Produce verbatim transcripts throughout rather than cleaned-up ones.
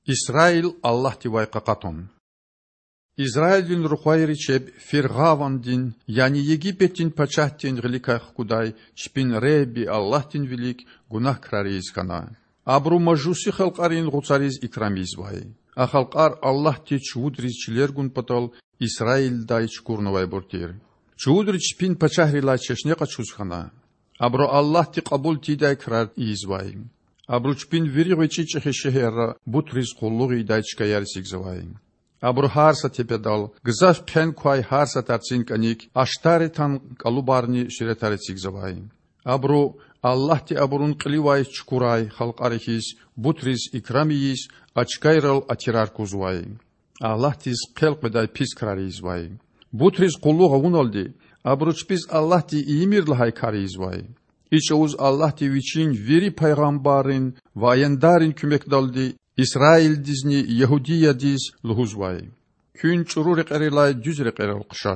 Исраил Аллагьдивай къакъатун. Исраилвин рухвайри чеб фиргъавандин, яни Египетдин пачагьдин гъиликай хкудай чпин Худа Аллагьдин вилик гунагь крар ийиз хьана. Абуру мажуси халкьарин гъуцариз икрам ийизвай. А халкьар Аллагьди чувудриз чилер гун патал Исраилдай чукурнавайбур тир. Чувудри чпин пачагьрилай чешне къачуз хьана. Абуру Аллагьди кьабул тийидай крар ийизвай. Абуру чпин вири гъвечІи-чІехи шегьерра бутриз къуллугъ ийидай чкаяр эцигзавай. Абуру гьар са тепедал, гзаф хъен квай гьар са тарцин кІаник, Аштаретан кІалубарни суьретар эцигзавай. Абуру, Аллагьди абурун кьиливай чукурай халкьари хьиз, бутриз икрам ийиз, а чкайрал атирар кузвай. Аллагьдиз хъел къведай пис крар ийизвай. Бутриз къуллугъ авуналди, абуру чпиз Аллагьди ийимир лагьай кар ийизвай. И чІавуз Аллагьди Вичин вири пайгъамбаррин ва аяндаррин куьмекдалди Исраилдизни Ягьудиядиз лугьузвай: Куьн чІуру рекьерилай дуьз рекьерал хъша.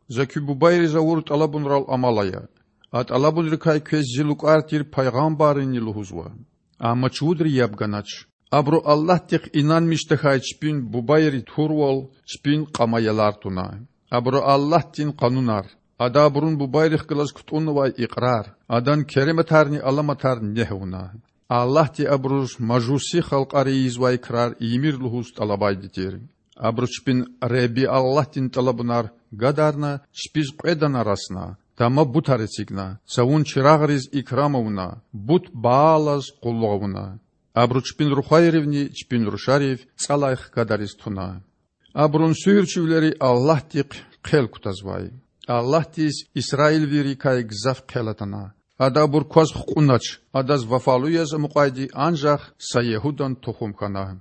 За куь бубайриз авур тІалабунрал амал ая. А тІалабунрикай квез зи лукІар тир пайгъамбаррини лугьузва. Амма чувудри яб ганач. Абуру Аллагьдихъ инанмиш тахьай чпин бубайри турвал, чпин кьама ялар туна. Абуру Аллагьдин къанунар, Ада абурун бубайрихъ галаз кутІуннавай икьрар, Адан керематарни аламатар негь авуна. Аллагьди абуруз мажуси халкьари ийизвай крар ийимир лугьуз тІалабайди тир. Абуру чпин Худа Аллагьдин тІалабунар гадарна, чпиз кьве дана расна, тама бутар эцигна, цавун чирагъриз икрам авуна, бут Баалаз къуллугъ авуна. Абуру чпин рухвайривни чпин рушарив цІалай хкадариз туна. Абурун суьгьуьрчивилери Аллагьдихъ хъел кутазвай. Аллагьдиз исраилвийрикай гзаф хъел атана. Ада абур кваз хкьунач, Адаз вафалу яз амукьайди анжах са ягьудан тухум хьана.